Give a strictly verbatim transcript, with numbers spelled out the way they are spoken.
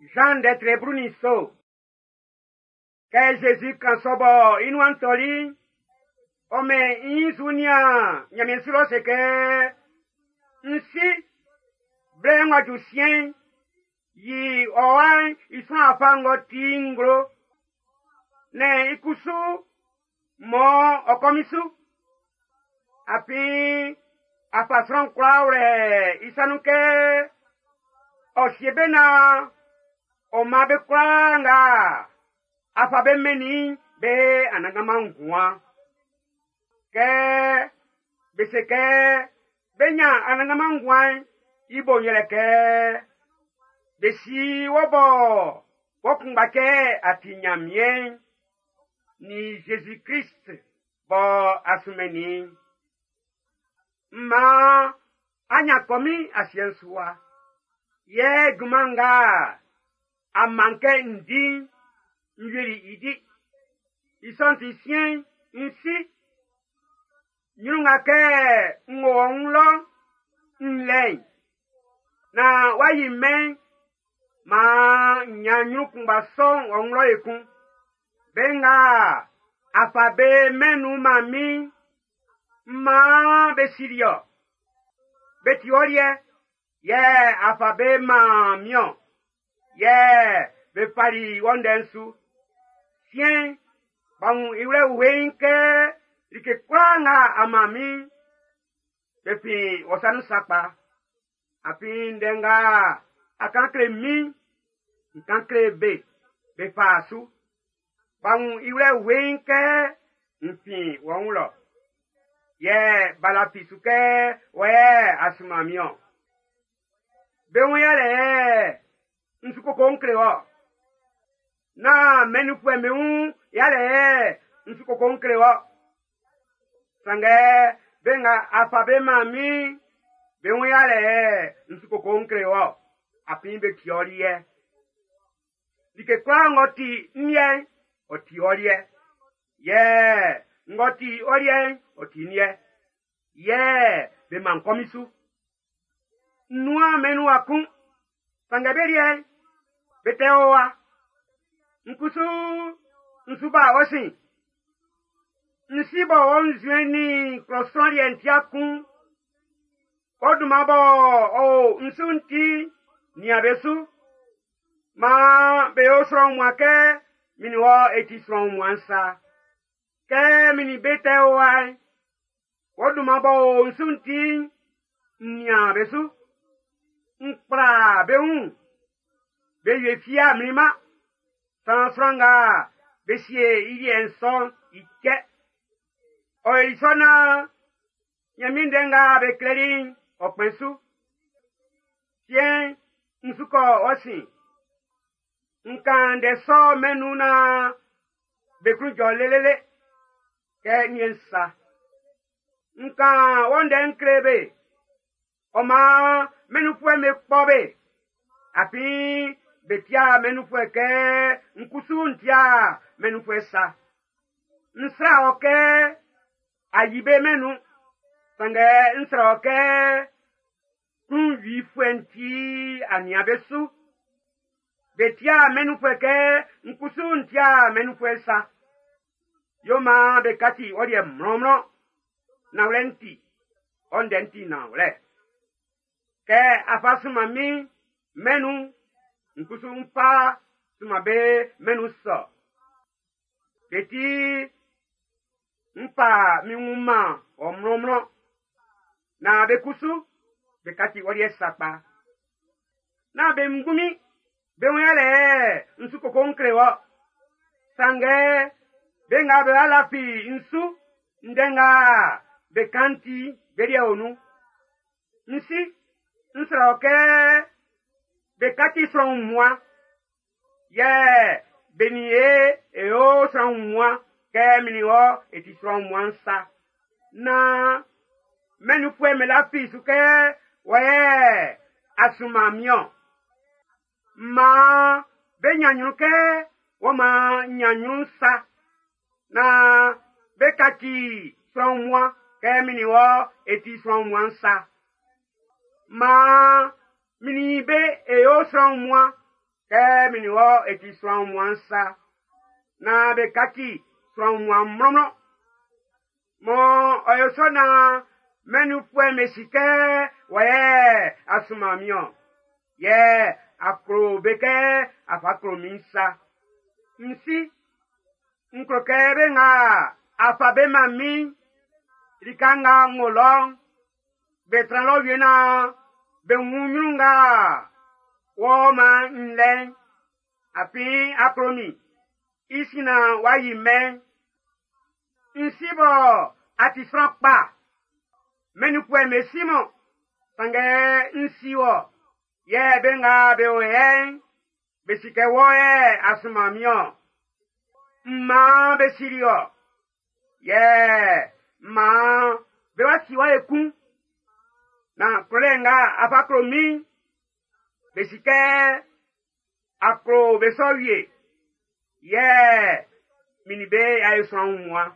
Jean ndɛtre blu nin nso. Kɛ Zezi kan sɔ bɔ i nuan tɔli'n, ɔ mɛn i nyin su nian Nyanmiɛn su lɔ se kɛ, N si, blɛ ng'ɔ ju siɛn'n, yi ɔ wa'n i sran afa ng'ɔ ti nglo. Nɛn i kusu mɔ ɔ kɔ min su. Afin a fa sran kwlaa wlɛ i sa nun kɛ ɔ sie be naan ɔ man be kwlaa nga a fa be mɛnnin be anannganman nguan. Kɛ be se kɛ be ɲan anannganman nguan'n, i bo'n yɛlɛ kɛ be si wɔ bɔ wɔ kunngba kɛ a ti Nyanmiɛn'n nin Jésus Christ bɔ a sunmɛnnin i'n. Maan a ɲan kɔmin asiɛ'n su wa. Yɛ junman nga a man kɛ n di'n, n wieli i di. I sɔ'n ti siɛn'n, n si. Ɲrun nga kɛ n wo ɔ wun lɔ'n, n lɛ i. Naan w'a yi mɛn'n, maan n ɲan ɲrun kunngba sɔ'n ɔ wun lɔ ekun. Be nga a fa be mɛn'n nun man min'n, maan be sili ɔ. Be ti ɔ liɛ, yɛ a fa be man min-ɔn. Yɛ be fali wɔ ndɛ'n su. Siɛn'n, b'a wun i wlɛ weiin kɛ like kwlaa nga a man min'n, be fin wɔ sa nun sakpa. Afin ndɛ nga a kan kle min'n, n kan kle be, be fa su. B'a wun i wlɛ weiin kɛ n fin wɔ wun lɔ. Yɛ b'a lafi su kɛ wɔ yɛ a sunman min-ɔn. Be wun yalɛ n su koko n kle wɔ. Nán mɛn'n nunfuɛ'm be wun yalɛ n su koko n kle wɔ. Sanngɛ be nga a fa be man min'n, be wun yalɛ n su koko n kle wɔ. Afin be ti ɔ liɛ. Like kwlaa ng'ɔ ti n liɛ'n, ɔ ti ɔ liɛ. Yɛ ng'ɔ ti ɔ liɛ'n, ɔ ti n liɛ. Yɛ be man kɔmin su. N nuan mɛn'n nun wa kun. Sanngɛ be liɛ'n, be tɛ o wa. N kusu n su ba ɔ sin. N si bɔ wɔ nzuɛn nin klɔ sran liɛ'n tia kun. Ɔ dunman bɔ ɔ o n su'n ti, nian be su. Maan be yo sran wunmuan kɛ min nin wɔ e ti sran wunmuan'n sa. Kɛ min nin be tɛ o wa'n, wɔ dunman b'ɔ o n su'n ti'n, n nian be su. N kpla be wun, be wie fia mlinman. San sran nga be sie i liɛ'n sɔ'n i cɛ. Ɔ yoli sɔ naan Nyanmiɛn ndɛ nga be klɛli'n ɔ kpɛn su. Siɛn'n, n su kɔ ɔ sin. N kan ndɛ sɔ mɛn'n nun naan be klun jɔ lelele kɛ n sa. N kan wɔ ndɛ'n kle be. Ɔ maan mɛn'n nunfuɛ'm be kpɔ be. Afin be tia mɛn'n nunfuɛ kɛ n kusu n tia mɛn'n nunfuɛ sa. N srɛ wɔ kɛ a yi be mɛn'n nun. Sanngɛ n srɛ wɔ kɛ klunwifuɛ'n ti a nian be su. Be tia mɛn'n nunfuɛ kɛ n kusu n tia mɛn'n nunfuɛ sa. Yo maan be kaci ɔ liɛ mlɔnmlɔn. Nanwlɛ'n ti, ɔ ndɛ'n ti nanwlɛ. Kɛ a fa sunman min mɛn'n nun'n, n kusu n fa sunman be mɛn'n nun sɔ. Be ti, n fa min wun man ɔ mlɔnmlɔn. Naan be kusu, be kaci ɔ liɛ sakpa. Nán be ngunmin, be wun yalɛ n su koko n kle wɔ. Sanngɛ be nga be lafi n su, ndɛ nga be kan ti be liɛ o nun. N si, n srɛ wɔ kɛ be kaci sran wunmuan. Yɛ be nin e e yo sran wunmuan kɛ min nin wɔ e ti sran wunmuan'n sa. Naan mɛn'n nunfuɛ'm be lafi su kɛ wɔ yɛ a sunman min-ɔn. Maan be ɲan ɲrun kɛ wɔ maan n ɲan ɲrun sa. Naan be kaci sran wunmuan kɛ min nin wɔ e ti sran wunmuan'n sa. Maan min nin be e yo sran wunmuan. Kɛ min nin wɔ e ti sran wunmuan sa, naan be kaci sran wunmuan mlɔnmlɔn. Mɔ ɔ yo sɔ naan mɛn'n nunfuɛ'm be si kɛ wɔ yɛ a sunman min-ɔn, yɛ a klo be kɛ a fa klo min sa. N Si, n klo kɛ be nga a fa be man min'n, lika nga n wo lɔ'n, be tran lɔ wie naan be wun ɲrun nga wɔ man n lɛ'n. Afin a klo min, i sin naan w'a yi mɛn'n. N si bɔ a ti sran kpa. Mɛn'n nunfuɛ'm be si-man, sanngɛ n si wɔ, yɛ be nga be o yɛ'n, be si kɛ wɔ yɛ a sunman min-ɔn. M maan be sili wɔ, yɛ maan be wa si wɔ ekun. Naan klolɛ nga a fa klo min'n, be si kɛ a klo be sɔ wie. Yɛ min nin be y'a yo sran wunmuan.